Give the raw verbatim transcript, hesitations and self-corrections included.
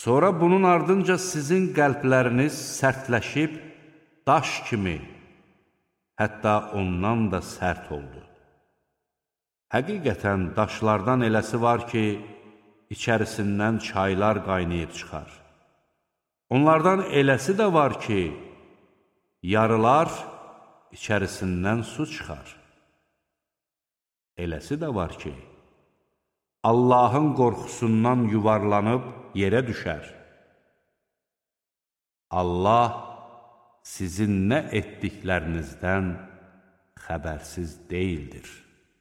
Sonra bunun ardınca sizin qəlbləriniz sərtləşib, daş kimi, hətta ondan da sərt oldu. Həqiqətən daşlardan eləsi var ki, içərisindən çaylar qaynayıb çıxar. Onlardan eləsi də var ki, yarılar, içərisindən su çıxar. Eləsi də var ki, Allahın qorxusundan yuvarlanıb yerə düşər. Allah sizin nə etdiklərinizdən xəbərsiz deyildir.